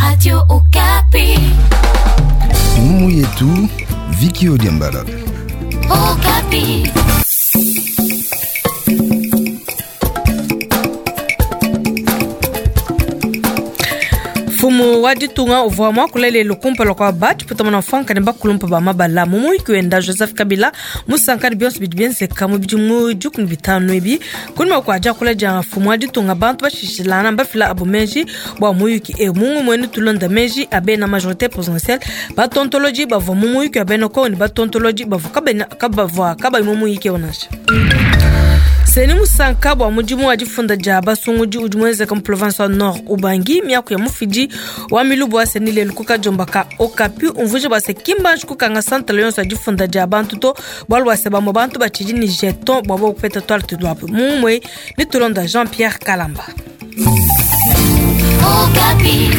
Radio Okapi. Ngumu yetu Viki Odiambala. Okapi. Mfumu wa ditunga uvua muakula lelu kumpala kua batshipeta muna mfuanka ne bakulumpa ba mabala mu muyuki wenda Joseph Kabila musanka ne bionso bidi bienzeka mu bidimu 15 ebi. Kunyima kua diakula dia mfumu wa ditunga, bantu bashishilangana mbafila abu meji bua muyuki eu. Mu ngumu enu tulonda meji a bena majorité présidentielle, batontoloji bavua mu muyuki wa bena Kongo ne batontoloji bavua kabavua kabayi mu muyuki eu nansha. Seni musanka bua mudimu wa difunda dia basungudi udi muenzeka mu province wa Nord Ubangi, miaku ya mufidi wa milubu wa Seni lelu ku kadiomba ka Okapi umvuije bua se kimbanji kukanga santala yonso ya difunda dia bantu to, bualu bua se bamue bantu batshidi ne jeton bua bobu kupeta tuarte tuabu. Mumue ne tulonda Jean-Pierre Kalamba. Okapi.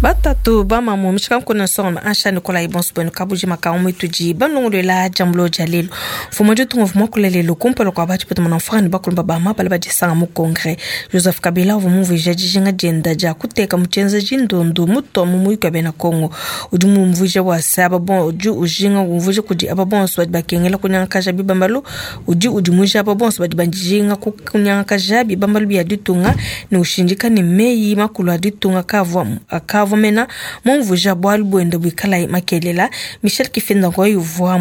Batatu bamamu mishika nkuna nsonga ansha Nikolai bonso bwenu kabujima ka umwitudi banlongolwela jambulo dia lelu. Mfumu ditunga uvua muakula lelu kumpala kua batshipeta muna mfranga ne bakulumba ba mabala badisanga mu congrès. Joseph Kabila uvua mumvuija dijinga dienda dia kuteka mu tshienzeji ndundu mutua mu muyuki wa bena Kongo. Udi mumvuija bua se aba bon, udi ujinga umvuija kudi aba bonso badi bakengela kunyangakaja bibambalu, udi udimuija aba bonso badi bajinga kunyangakaja bibambalu bia ditunga ne ushindika ne meyi makulu a ditunga akavua mena mumvuija bualu buende buikala makelela. Michel Kifenda Ngoyi uvua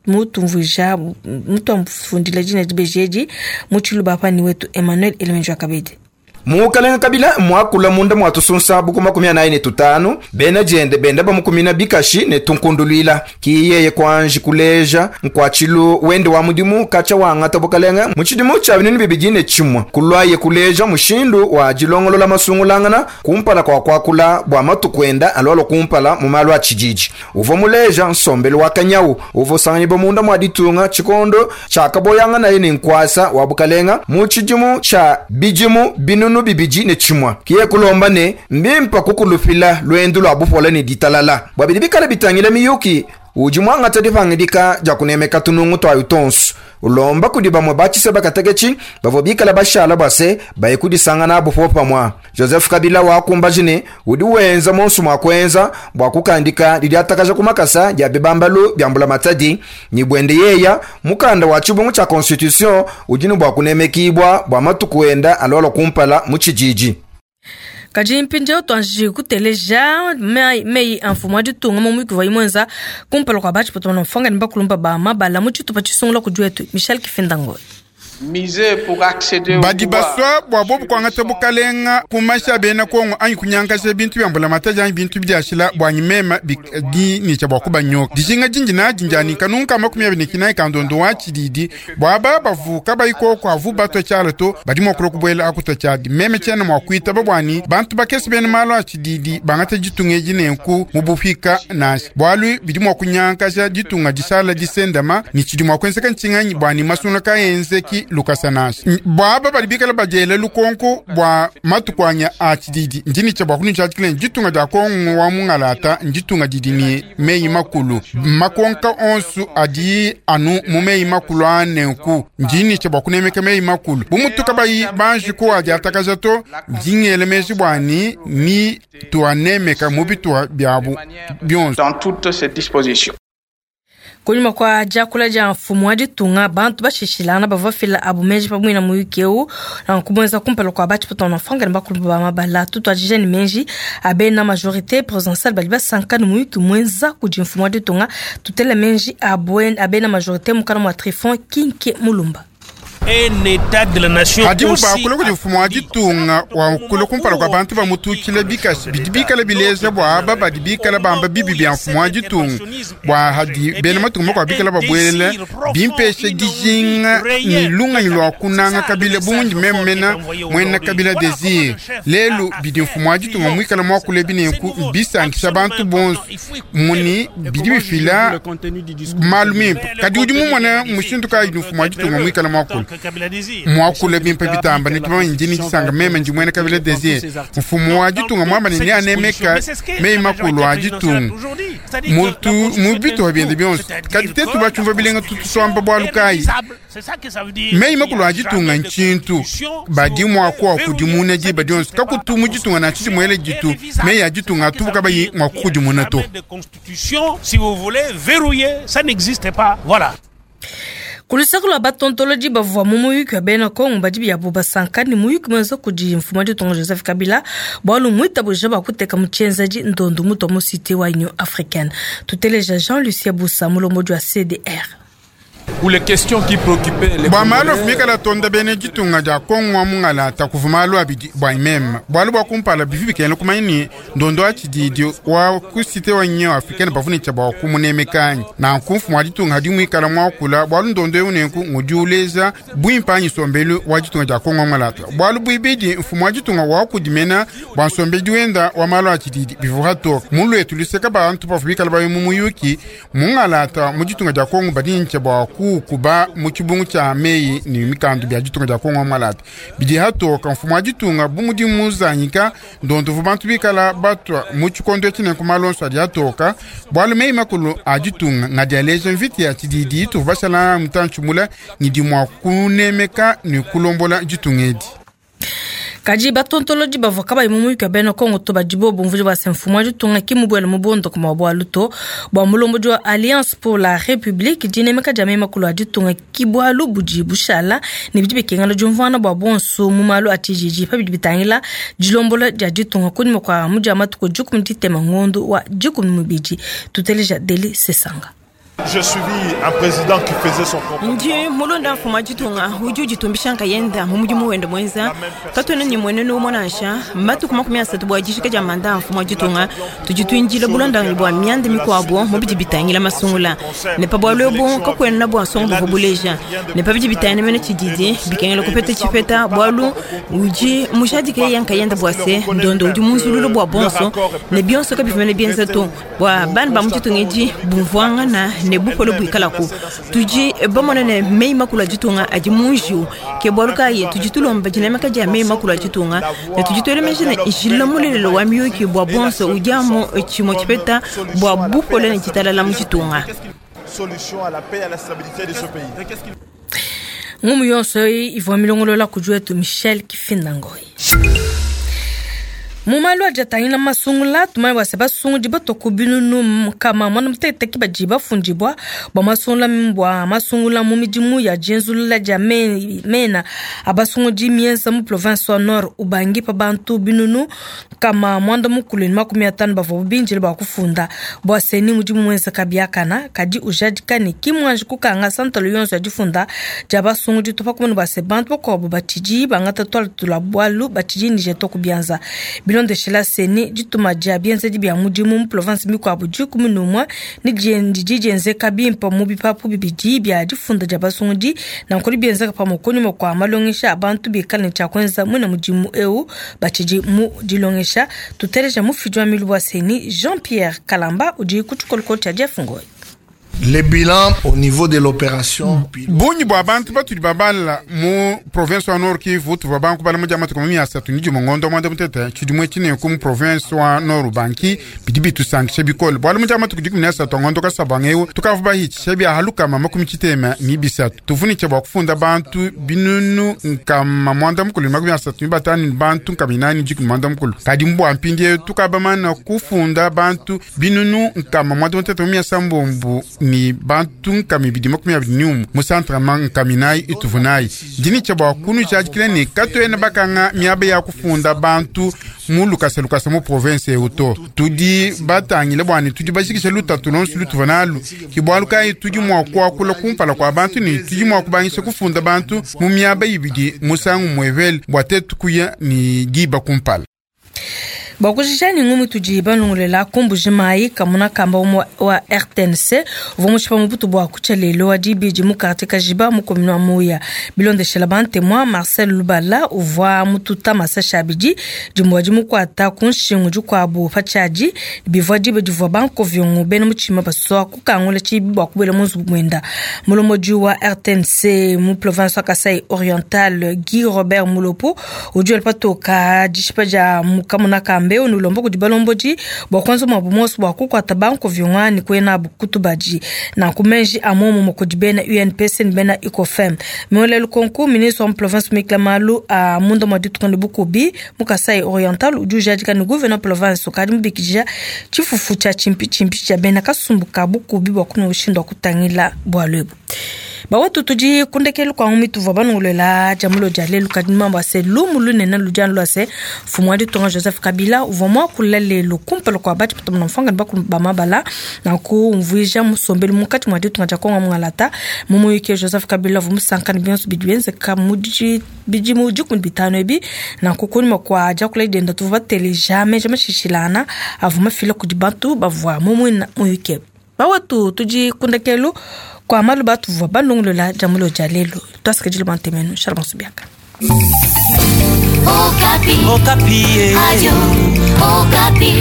mutumvuija, mutuamfundila dina dibeji edi mu tshiluba pa ni wetu Emmanuel Elemenjo Kabedi. Mukalenga Kabila mwakula munda mwatusunsa buku 45 bena jende benda bamukumina bikashi ne tunkundulwila kiyeye kwanji kuleja nkwachilu wende wa mudimu kacha wangata bukalenga mu tshidimu tshia binunu bibidi ne tshimwe kulwaye kuleja mushindu wa dilongolola masungulangana kumpala kwa kwakula bua matukwenda alwalo kumpala mu malu a tshididi. Uvua muleja nsombelu wa kanyawu uvua sanganyibwa munda mwa ditunga tshikondo tshakaboyanga naye ne nkwasa wa bukalenga mu tshidimu tshia bidimu binunu bibidi ne tshimwa kiye kulomba ne mbimpa kukulupila lwendu lwa bupola ne ditalala bua bidi bikala bitangila miyuki udi mwangata dipangidika dia kunemeka tunungu twayo tonso ulomba kudi bamwe batshise bakateketshi bavua bikala bashala bua se baye kudisangana abu popamwa. Joseph Kabila wakumbaji ne udi wenza monso mwa kuenza bua kukandika didiatakaja ku makasa dia bibambalu bia mbula matadi ni bwende yeya mukanda wa tshibungu tshia constitution udi ne bua kunemekibwa bua matuku enda alwala kumpala mu tshididi. Kadi mpindieu tuanji kuteleja meyi a mfumu wa ditunga mu muyuki wa imwenza kumpala kua batshipeta na mfanga ne bakulumba ba mabala mu tshitupa tshisungula kudi wetu Michel Kifenda Ngoyi. Badi baswa bua bobu kuangata bukalenga kumasha bena Kongo anyi kunyankasha bintu bia mbula mataji anyi bintu biashila bua nyimema bidi ni cha bua kubanyoka. Dijinga jinji na jinjani kanunka 29 kandondo wa tshididi bua ba bavuka bayikoko avu batwa tshiala to badi mua kulua kubuela akuta tshiadi. Meme tshiena mua kuitaba buani bantu bakese bena malu a tshididi bangata ditunga edi nenku mu bupika nansha. Bualu bidi mua kunyankasha ditunga dishala disendama ni tshidi mua kuenzeka ntshinganyi buani masungula kaenzeki lukasa nansha. Bwaba bali bikala badiela lukonko bwa matukwanya a tshididi ndini tshia bua kunitsha tshikile ditunga dia Kongo wa mungalata nditunga didi ni meyi makulu makonka onsu adi anu mu meyi makulu anenku ndini tshia bua kunemeka meyi makulu bumutuka bayi banji ko adi atakaja to ndingele meji bwani ni tuanemeka mu bitua biabu bionso. Dans toutes ces dispositions. Kunyima kwa diakula dia mfumu wa ditunga bantu bashishilana bavua fila abu meji pamwe na muyuki eu na kubwenza kumpala kwa batshipeta na mfanga ne bakulu ba mabala tutuadija ne meji abena majorité présidentielle badi basanka ne muyuki mwenza kudi mfumu wa ditunga tutela meji abena majorité mukana mwa Trifon Kinke Mulumba. Un état de la nation Hadibu bakula kudi mfumu wa ditunga wa kula kumpala kwa bantu bamutukile bikashi bidi bikala bileja bua aba badi bikala bamba bibi bia mfumu wa ditunga bua hadi bena matunga makuabu bikala babuelele bimpeshe dijinga ni lunganyi lua kunanga kabila bungi memena mwena kabila desir lelu bidi mfumu wa ditunga muikala muakule binenku bisankisha bantu bonso muni bidi bifila malu mimpe kadi udi mumona mushindu kayi mfumu wa ditunga muikala muakule. Mwakula bimpe bitamba ne tumanye ndi disanga meme ndi mwene Kabila Desir. Mfumu wa ditunga mwamba ne anemeka meyi makulu a ditunga. Mutu mu bitu biende bionso. Kadi tetu bachumva bilenga tutuswamba bwalu kayi. Meyi makulu a ditunga ntshintu. Badi mwaku akudimuna diba dionso. Kakutu mu ditunga na tshidi mwele ditu. Meyi a ditunga atubuka bayi mwakukudimuna to. Si vous voulez verrouiller, ça n'existe pas. Voilà. Kulusaka lwa batontoloji bavua mu muyuki wa bena Kongo badi biabu basanka ni muyuki mwenza kudi mfumu wa ditunga Joseph Kabila bwalu mwitabuja bakuteka mu tshienzedi ndondo mutu mu cité wa Union africaine. Tuteleja Jean-Lucien Bussa mulombodi wa CDR. Pour les questions qui préoccupaient les Bwa malu Congolais, afumikala tonda bene ditunga dia Kongo wa mungala takuva malu abidi bwa imema. Bwalu bwa kumpala bivi bikena kumanya ni ndondo wa tshididi wa ku cité wa Union africaine bavunica bwa kumunemekanyi. Nanku mfumu wa ditunga hadi mwikala mwakula bwalu ndondo eu nenku ngudi uleza bwimpa nsombelu wa ditunga dia Kongo wa mungalata. Bwalu bwibidi mfumu wa ditunga wa kudimena bwa nsombedi wenda wa malu a tshididi bivuha toka. Mulu etu luseka bantu bavubikala bayo mu muyuki mungalata mu ditunga dia Kongo badincha bwa kukuba mu tshibungu tshia meyi ni mikandu bia ditunga dia Kongo malata. Bidi hatoka mfumu wa ditunga bu mudi muzanyika ndondo vu bantu bikala batwa mu tshikondo tshine ku malonso adi atoka bwalu meyi makulu a ditunga ngadi aleja mviti ya tshididi tuvu bashala mutantshi mula ngidi mwa kunemeka ni kulombola ditunga edi. Kadi batontoloji bavua kabayi mu muyuki wa bena Kongo to badi bobu mvudi bua se mfumu wa ditunga ki mubuele mu bondoka mua bwalu to bua mulombodi wa Alliance pour la République dinemeka dia meyi makulu a ditunga ki bwalu budi bushala ne bidi bikengela diumvuana bua bonso mu malu a tshijiji pa bidi bitangila dilombola dia ditunga kunyima kua mudia matuku dikumi ditema ngondo wa dikumi mubidi. Tuteleja Deli Sesanga. J'ai suivi un président qui faisait son propre Ndi mulonda mfumu wa ditunga udi uditumbisha nkayenda mu mudimu wende mwenza katwena ni mwenene umonansha matuku 30 bua dishika dia manda mfumu wa ditunga tudi tuindila bulondanyi bua mianda mikuabo mu bidi bitangila masungula ne pa bualu ebu kakuena bua nsongo buvua buleja ne pa bidi bitangila mene tshididi bikengela kupeta tshipeta bualu udi mujadike ye nkayenda bua se ndondo udi munzululu bua bonso ne bionso kabivumene bienza to bua bana ba mu ditunga edi bumvuangana ne bupolo buikalaku tudi bamona ne meyi makulu a ditunga adi mu njiwu ke bualu kayi tudi tulomba dinemeka dia meyi makulu a ditunga ne tudi tuelemeja ne njila mulelelo wa miyuki bua bonso udi amu tshimue tshipeta bua bupolo ne ditalala mu ditunga. Solution à la paix et à la stabilité de ce pays. Ngumu yonso ivua milongolola kudi wetu Michel Kifindangoyi. Mu malu adi atangila masungula tumanye bua se basungudi batoku binunu nkama mwana muteketeke badi bafundibua bua masungula mu midimu ya dienzulula dia mena a basungudi mienza mu province wa Nord Ubangi pa bantu binunu nkama mwanda mukulu ne 50 bavua bindile bua kufunda bua seni mudimu muenzeka biakana kadi ujadika ne ki muanji kukanga santalo yonso ya difunda dia basungudi to pakumona bua se bantu bakuabu batshidi bangata tuala tula bualu batshidi nije to kubianza. Bilondeshela seni dituma dia bienzedi bia mudimu mu province mikuabu 11 ni didi dienzeka bimpe mu bipapu bibidi bia difunda dia basungudi nankudi bienzeka pamue kunyima kua malongesha a bantu bikale ne tshia kuenza muina mudimu eu batshidi mu dilongesha. Tuteleja mufidi wa milu wa seni Jean-Pierre Kalamba udi ku tshikolokolo tshia Jeff Ngoyi. Le bilan au niveau de l'opération. Bungi bua bantu batudi babala mu province wa Nord Kivu tuvua banku bala mudia matuku 30 ni dimue ngondo mwanda mutete tshidimue tshineku mu province wa Nord Ubangi bidi bitusankisha bikole bualu mudia matuku 13 ngondo kasabanga eu tukavu bahitshisha bia halukama 93 tuvunica bua kufunda bantu binunu nkama mwanda mukulu 35 ni bantu nkama inani dikumi mwanda mukulu kadi mbua mpindi eu tukabamana kufunda bantu binunu nkama mwanda mutete 170 ni bantu nkama ibidi 21 mu centre ma nkama inayi ituvunayi dinicha bua kunu tshadikile ne katuena bakanga miaba ya kufunda bantu mu lukasa lukasa mu province eu to tudi batangile bua ne tudi bashikisha lutatu lonso lutuva nalu ki bualu kayi tudi mua kuakula kumpala kua bantu ne tudi mua kubangisha kufunda bantu mu miaba ibidi musangu muevele bua tetu kuya ni diba kumpala. Bua kujisha ne ngumu itudi balongolola ku Mbuji-Mayi, kamuna kamba umue wa RTNC uvua mushipa mu butu bua kutshia lelu wa dibidi mu quartier Kajiba mu commune wa Muya. Bilondeshela ba ntemua, Marcel Lubala uvua mututa masashi abidi, dimue dimukuata ku nshingu dikuabu pa tshiadi. Bivua diba divua ba nkoviongo bena mutshima basua kukangula tshibi bua kubuela mu nzubu muenda. Mulombodi wa RTNC mu province wa Kasai Oriental Guy Robert Mulopo udi wela patoka dishipa dia mukamuna kambe unulomba kudi balombodi bua kuenza muabu muonso bua kukuata bankoviongwa ne kuya nabu ku tubadi. Nanku meji a muomumue kudi bena UNPC ne bena UCOFEM. Miole lukonku, ministre wa mu province muikila malu a munda mua ditunga ne bukubi mu Kasai Oriental udi ujadika ne gouverneur province ukadi mubikidija tshifufu tshia tshimpitshimpi tshia bena kasumbu ka bukubi bua kunua mushindu wa kutangila bualu ebu. Bawetu tudi ku ndekelu kua ngumi tuvua banongolola dia mulo dia lelu, kadi mambo a se lumu lunene ludi anu lua se mfumu wa ditunga Joseph Kabila uvua muakula lelu kumpala kua batshipeta muna mfuanga ne bakulu ba mabala nanku umvuija musombelu munkatshi mua ditunga dia Kongo mungalata. Mu muyuki Joseph Kabila uvua musanka ne bionso bidi bienzeka mu bidimu 15 ebi. Nanku kunyima kua diakula dienda tuvua bateleja meji mashishilangana avua mafila kudi bantu bavua mu muina muyuki. Bawetu tudi ku ndekelu kua malu batuvua balongolola dia mulo dia lelu. Tuasikidile bua ntemenu. Shalom Subiaka. Okapi. Okapi. Radio Okapi.